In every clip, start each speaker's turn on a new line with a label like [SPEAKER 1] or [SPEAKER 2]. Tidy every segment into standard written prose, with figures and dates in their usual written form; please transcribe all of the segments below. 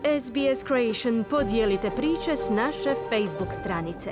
[SPEAKER 1] SBS Creation podijelite priče s naše Facebook stranice.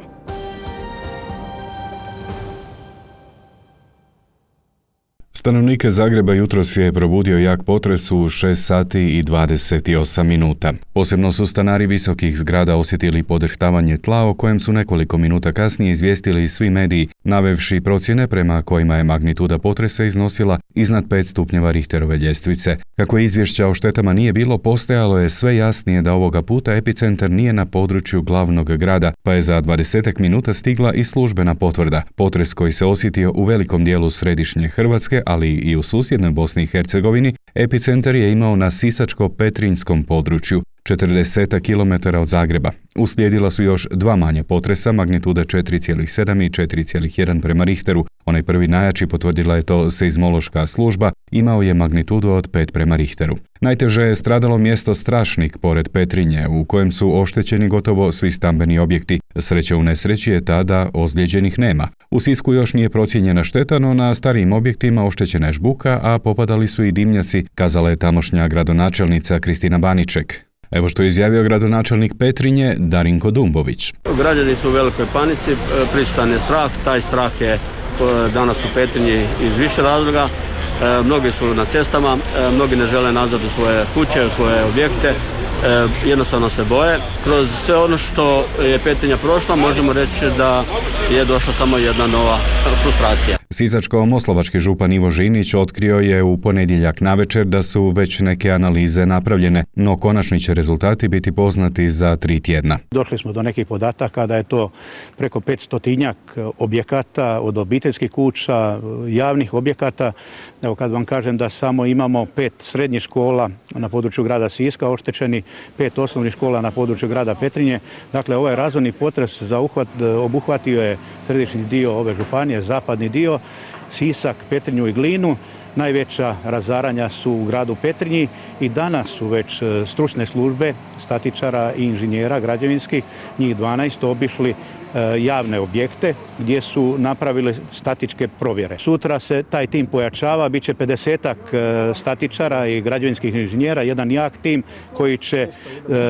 [SPEAKER 2] Stanovnike Zagreba jutros je probudio jak potres u 6 sati i 28 minuta. Posebno su stanari visokih zgrada osjetili podrhtavanje tla o kojem su nekoliko minuta kasnije izvijestili svi mediji, navevši procjene prema kojima je magnituda potresa iznosila iznad 5 stupnjeva Richterove ljestvice. Kako izvješća o štetama nije bilo, postajalo je sve jasnije da ovoga puta epicentar nije na području glavnog grada, pa je za 20 minuta stigla i službena potvrda. Potres koji se osjetio u velikom dijelu središnje Hrvatske, ali i u susjednoj Bosni i Hercegovini, epicentar je imao na Sisačko-Petrinjskom području, 40 km od Zagreba. Uslijedila su još dva manje potresa, magnituda 4,7 i 4,1 prema Richteru. Onaj prvi najjači, potvrdila je to seizmološka služba, imao je magnitudu od 5 prema Richteru. Najteže je stradalo mjesto Strašnik pored Petrinje, u kojem su oštećeni gotovo svi stambeni objekti. Sreća u nesreći je ta da ozlijeđenih nema. U Sisku još nije procijenjena šteta, no na starijim objektima oštećena je žbuka, a popadali su i dimnjaci, kazala je tamošnja gradonačelnica Kristina Baniček. Evo što je izjavio gradonačelnik Petrinje Darinko Dumbović.
[SPEAKER 3] Građani su u velikoj panici, prisutan je strah, taj strah je danas u Petrinji iz više razloga. Mnogi su na cestama, mnogi ne žele nazad u svoje kuće, u svoje objekte, jednostavno se boje. Kroz sve ono što je Petrinja prošla, možemo reći da je došla samo jedna nova frustracija.
[SPEAKER 2] Sisačko-moslavački župan Ivo Žinić otkrio je u ponedjeljak navečer da su već neke analize napravljene, no konačni će rezultati biti poznati za 3 tjedna.
[SPEAKER 4] Došli smo do nekih podataka da je to preko 500 objekata, od obiteljskih kuća, javnih objekata. Evo kad vam kažem da samo imamo 5 srednjih škola na području grada Siska oštećeni, 5 osnovnih škola na području grada Petrinje. Dakle, ovaj razorni potres obuhvatio je središnji dio ove županije, zapadni dio, Sisak, Petrinju i Glinu. Najveća razaranja su u gradu Petrinji i danas su već stručne službe statičara i inženjera građevinskih, njih 12, obišli javne objekte gdje su napravili statičke provjere. Sutra se taj tim pojačava, bit će 50-ak statičara i građevinskih inženjera, jedan jak tim koji će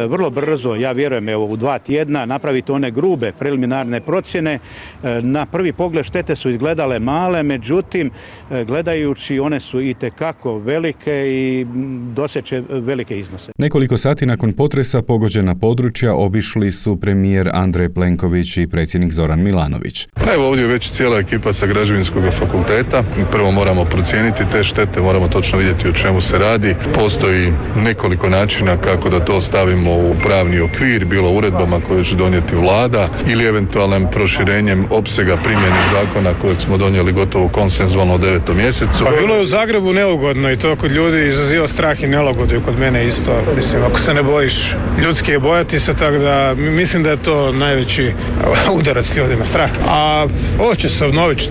[SPEAKER 4] vrlo brzo, ja vjerujem u 2 tjedna, napraviti one grube preliminarne procjene. Na prvi pogled štete su izgledale male, međutim gledajući one su itekako velike i doseće velike iznose.
[SPEAKER 2] Nekoliko sati nakon potresa pogođena područja obišli su premijer Andrej Plenković i predsjednik Zoran Milanović.
[SPEAKER 5] Evo ovdje je već cijela ekipa sa Građevinskog fakulteta. Prvo moramo procijeniti te štete, moramo točno vidjeti o čemu se radi. Postoji nekoliko načina kako da to stavimo u pravni okvir, bilo uredbama koje će donijeti vlada ili eventualnim proširenjem opsega primjene zakona kojeg smo donijeli gotovo konsenzualno u 9. mjesecu.
[SPEAKER 6] Pa bilo je u Zagrebu neugodno i to kod ljudi izaziva strah i nelagodu i kod mene isto. Mislim, ako se ne bojiš, ljudski je bojati se, tako da mislim da je to najveći udarac ljudima, strah. A ovo će se obnoviti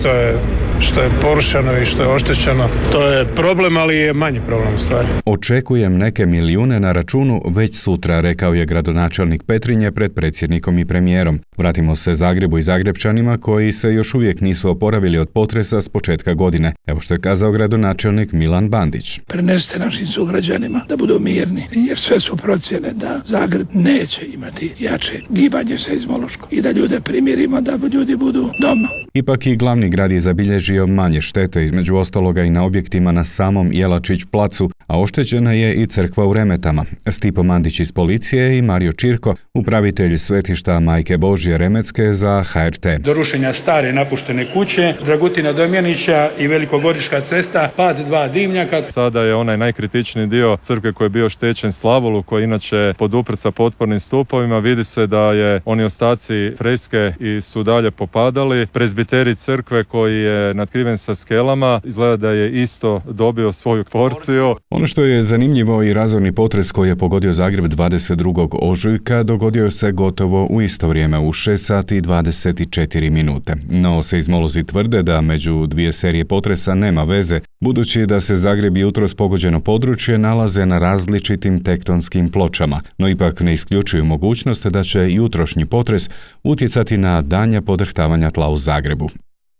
[SPEAKER 6] što je porušeno i što je oštećeno. To je problem, ali je manji problem u stvari.
[SPEAKER 2] Očekujem neke milijune na računu već sutra, rekao je gradonačelnik Petrinje pred predsjednikom i premijerom. Vratimo se Zagrebu i Zagrebčanima koji se još uvijek nisu oporavili od potresa s početka godine. Evo što je kazao gradonačelnik Milan Bandić.
[SPEAKER 7] Prenesite našim sugrađanima da budu mirni, jer sve su procjene da Zagreb neće imati jače gibanje seizmološko i da ljude primirimo da ljudi budu doma.
[SPEAKER 2] Ipak i glavni grad je zabilježio manje štete, između ostaloga i na objektima na samom Jelačić placu, a oštećena je i crkva u Remetama. Stipo Mandić iz policije i Mario Čirko, upravitelj svetišta Majke Božje Remetske za HRT.
[SPEAKER 8] Do rušenja stare napuštene kuće, Dragutina Domjanića i Velikogorička cesta, pad 2 dimnjaka.
[SPEAKER 9] Sada je onaj najkritičniji dio crkve koji je bio oštećen Slavolu, koji inače poduprt sa potpornim stupovima. Vidi se da je oni ostaci freske i su dalje popadali. Prezbiterij crkve koji je natkriven sa skelama, izgleda da je isto dobio svoju porciju.
[SPEAKER 2] Ono što je zanimljivo i razorni potres koji je pogodio Zagreb 22. ožujka dogodio se gotovo u isto vrijeme u 6 sati i 24 minute. No seizmolozi tvrde da među dvije serije potresa nema veze, budući da se Zagreb i jutros pogođeno područje nalaze na različitim tektonskim pločama, no ipak ne isključuju mogućnost da će jutrošnji potres utjecati na daljnja podrhtavanja tla u Zagrebu.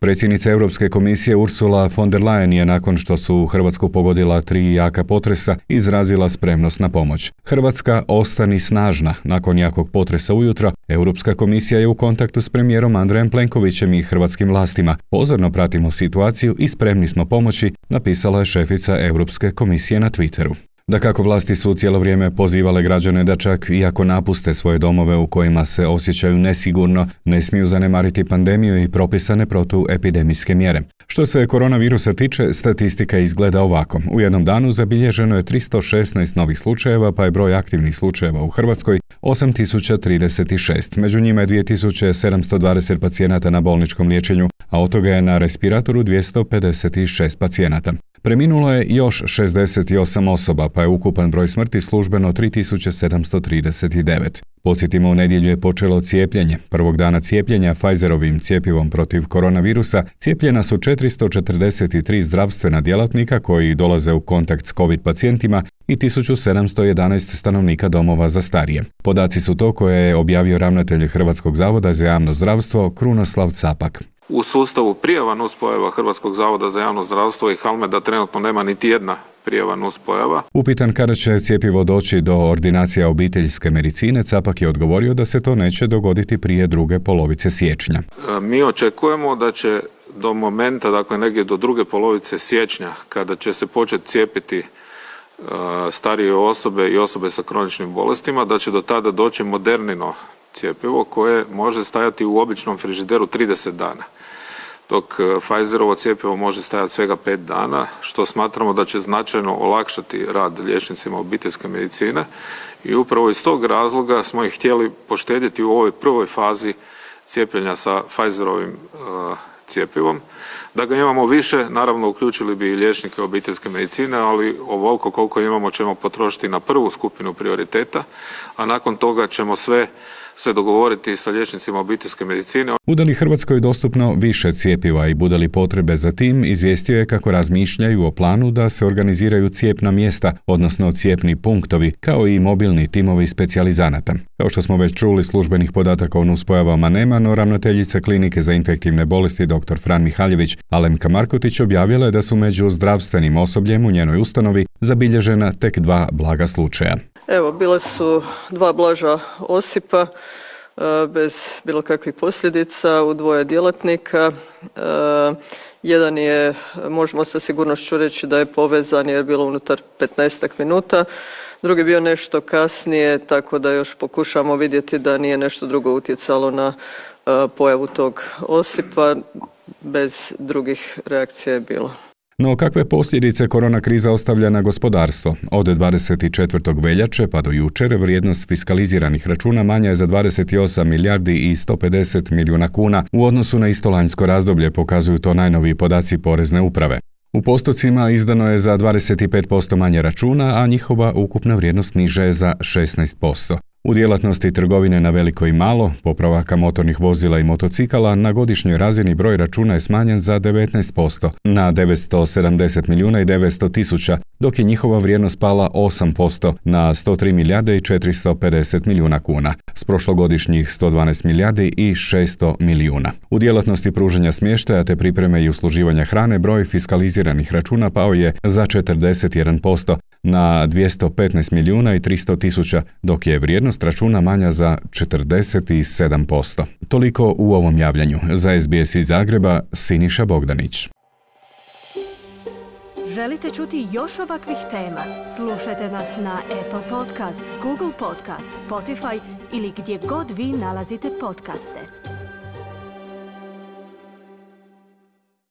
[SPEAKER 2] Predsjednica Europske komisije Ursula von der Leyen je nakon što su Hrvatsku pogodila 3 jaka potresa izrazila spremnost na pomoć. Hrvatska ostani snažna. Nakon jakog potresa ujutro, Europska komisija je u kontaktu s premijerom Andrejem Plenkovićem i hrvatskim vlastima. Pozorno pratimo situaciju i spremni smo pomoći, napisala je šefica Europske komisije na Twitteru. Dakako, vlasti su cijelo vrijeme pozivale građane da čak i ako napuste svoje domove u kojima se osjećaju nesigurno, ne smiju zanemariti pandemiju i propisane protuepidemijske mjere. Što se koronavirusa tiče, statistika izgleda ovako. U jednom danu zabilježeno je 316 novih slučajeva, pa je broj aktivnih slučajeva u Hrvatskoj 8036. Među njima je 2720 pacijenata na bolničkom liječenju, a od toga je na respiratoru 256 pacijenata. Preminulo je još 68 osoba, pa je ukupan broj smrti službeno 3739. Podsjetimo, u nedjelju je počelo cijepljenje. Prvog dana cijepljenja Pfizerovim cjepivom protiv koronavirusa cijepljena su 443 zdravstvena djelatnika koji dolaze u kontakt s COVID pacijentima i 1711 stanovnika domova za starije. Podaci su to koje je objavio ravnatelj Hrvatskog zavoda za javno zdravstvo Krunoslav Capak.
[SPEAKER 10] U sustavu prijava nuspojava Hrvatskog zavoda za javno zdravstvo i Halmeda trenutno nema niti jedna prijava nuspojava.
[SPEAKER 2] Upitan kada će cjepivo doći do ordinacija obiteljske medicine, Capak je odgovorio da se to neće dogoditi prije druge polovice siječnja.
[SPEAKER 10] Mi očekujemo da će do momenta, dakle negdje do druge polovice siječnja, kada će se početi cijepiti starije osobe i osobe sa kroničnim bolestima, da će do tada doći modernino cjepivo koje može stajati u običnom frižideru 30 dana. Dok Pfizerovo cjepivo može stajati svega 5 dana, što smatramo da će značajno olakšati rad liječnicima obiteljske medicine i upravo iz tog razloga smo ih htjeli poštedjeti u ovoj prvoj fazi cijepljenja sa Pfizerovim cjepivom. Da ga imamo više, naravno uključili bi i liječnike obiteljske medicine, ali ovoliko koliko imamo ćemo potrošiti na prvu skupinu prioriteta, a nakon toga ćemo sve se dogovoriti sa liječnicima obiteljske medicine.
[SPEAKER 2] Bude li Hrvatskoj dostupno više cjepiva i bude li potrebe za tim, izvijestio je kako razmišljaju o planu da se organiziraju cijepna mjesta, odnosno cijepni punktovi, kao i mobilni timovi specijalizanata. Kao što smo već čuli, službenih podataka o nuspojavama nema, no ravnateljica klinike za infektivne bolesti dr. Fran Mihaljević Alemka Markotić objavila je da su među zdravstvenim osobljem u njenoj ustanovi zabilježena tek 2 blaga slučaja.
[SPEAKER 11] Evo, bile su 2 blaža osipa bez bilo kakvih posljedica u 2 djelatnika. Jedan je, možemo sa sigurnošću reći da je povezan jer je bilo unutar 15 minuta. Drugi je bio nešto kasnije, tako da još pokušamo vidjeti da nije nešto drugo utjecalo na pojavu tog osipa. Bez drugih reakcija je bilo.
[SPEAKER 2] No kakve posljedice korona kriza ostavlja na gospodarstvo? Od 24. veljače pa do jučer vrijednost fiskaliziranih računa manja je za 28 milijardi i 150 milijuna kuna u odnosu na isto lanjsko razdoblje, pokazuju to najnoviji podaci Porezne uprave. U postocima izdano je za 25% manje računa, a njihova ukupna vrijednost niža je za 16%. U djelatnosti trgovine na veliko i malo, popravaka motornih vozila i motocikala, na godišnjoj razini broj računa je smanjen za 19%, na 970 milijuna i 900 tisuća, dok je njihova vrijednost pala 8% na 103 milijarde i 450 milijuna kuna, s prošlogodišnjih 112 milijardi i 600 milijuna. U djelatnosti pružanja smještaja te pripreme i usluživanja hrane broj fiskaliziranih računa pao je za 41%, na 215 milijuna i 300 tisuća, dok je vrijednost računa manja za 47%. Toliko u ovom javljanju. Za SBS iz Zagreba, Siniša Bogdanić.
[SPEAKER 1] Želite čuti još ovakvih tema? Slušajte nas na Apple Podcast, Google Podcast, Spotify ili gdje god vi nalazite podcaste.